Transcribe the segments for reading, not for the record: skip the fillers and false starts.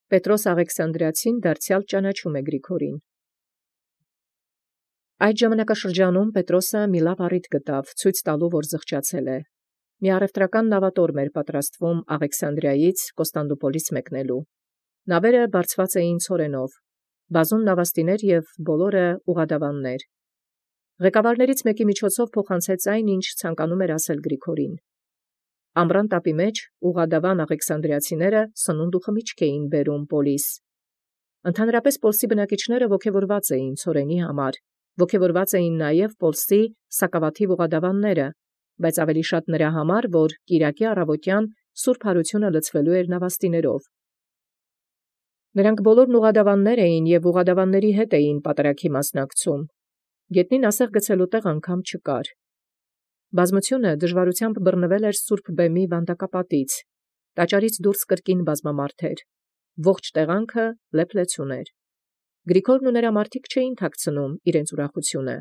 Պետրոս Աղեքսանդրիացին դարձեալ ճանաչում է Գրիգորին։ Այդ ժամանակաշրջանում Պետրոսը մի լավ առիթ գտավ, ցույց տալու, որ զղջացել է։ Մի առևտրական նավատորմ էր պատրաստվում Աղեքսանդրիայից Կոստանդնուպոլիս մեկնելու։ Նավերը բարձված էին ցորենով, բազում նավաստիներ եւ բոլորը ուղադավաններ։ Ղեկավարներից մեկի միջոցով փոխանցեց այն, ինչ ցանկանում էր ասել Գրիգորին։ Ամռան տապի մեջ ուղադավան Աղեքսանդրիացիները սնունդ ու խմիչք էին բերում Պոլիս։ Ընդհանրապես Պոլսի բնակիչները ոգևորված էին ցորենի համար, ոգևորված էին նաև Պոլսի սակավաթիվ ուղադավանները, բայց ավելի շատ նրա համար, որ Կիրակի առավոտյան սուրբ հարությունը լցվելու էր նավաստիներով։ Նրանք բոլորն ուղադավաններ էին եւ ուղադավանների հետ էին պատարագի մասնակցում։ Գետնին ասեղ գցելու տեղ անգամ չկար։ Բազմությունը դժվարությամբ բռնվել էր սուրբ բեմի վանդակապատից, տաճարից դուրս կրկին բազմամարդ էր, ողջ տեղանքը լեփլեցուն էր։ Գրիգորն ու նրա մարդիկ չէին թաքցնում իրենց ուրախությունը։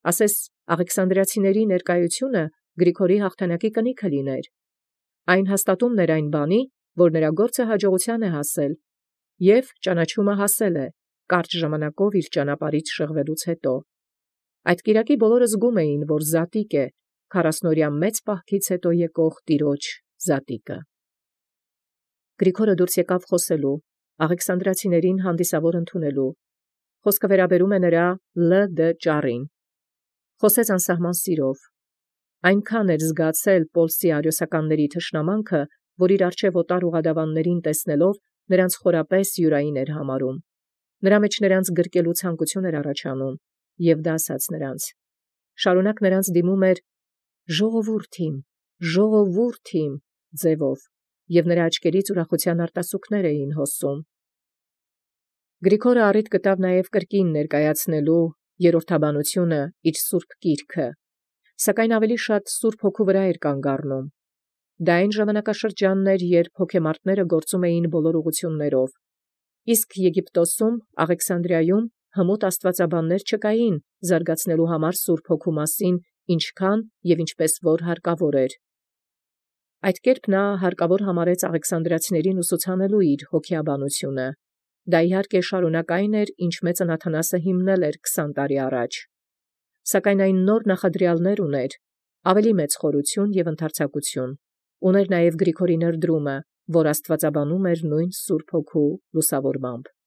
Ասես Աղեքսանդրիացիների ներկայությունը Գրիգորի հաղթանակի կնիքը լիներ։ Այն հաստատումն էր այն բանի, որ նրա գործը հաջողության է հասել, եւ ճանաչումը հասել է կարճ ժամանակով իր ճանապարհից շեղվելուց հետո։ Այդ կիրակի բոլորը զգում էին, որ զատիկ է 40-օրյա մեծ պահքից հետո եկող տիրոջ զատիկը։ Գրիգորը դուրս եկավ խոսելու, Աղեքսանդրիացիներին հանդիսավոր ընդունելու։ Խոսքը վերաբերում է նրա Լ.Դ. ճառին։ Խոսեց անսահման սիրով։ Այնքան էր զգացել Պոլսի արիոսականների թշնամանքը, որ իր առջև օտար ուղադավաններին տեսնելով նրանց խորապես յուրային էր համարում։ Նրա մեջ նրանց գրկելու ցանկություն էր առաջանում, եւ դա ասաց նրանց։ Շարունակ նրանց դիմում էր ժողովուրդ իմ ձևով, եւ նրա աչքերից ուրախության արտասուքներ էին հոսում։ Գրիգորը առիթ գտավ նաև կրկին ներկայացնելու երրորդաբանությունը իր սուրբ գիրքը, սակայն ավելի շատ սուրբ հոգու վրա էր կանգ առնում։ Դա այն ժամանակաշրջանն էր, երբ հոգեմարտները գործում էին բոլոր ուղղություններով, իսկ Եգիպտոսում, Աղեքսանդրիայում հմուտ աստվածաբաններ չկային զարգացնելու համար սուրբ հոգու մասին, ինչքան եւ ինչպես որ հարկավոր էր։ Այդ կերպ նա հարկավոր համարեց Աղեքսանդրիացիներին ուսուցանելու իր հոգեաբանությունը։ Դա իհարկե շարունակ այն էր, ինչ մեծն Աթանասը հիմնել էր 20 տարի առաջ։ Սակայն այն նոր նախադրյալներ ուներ, ավելի մեծ խորություն եւ ընդարձակություն։ Ուներ նաև Գրիգորի ներդրումը, որ աստվածաբանում էր նույն Սուրբ Հոգու լուսավորմամբ։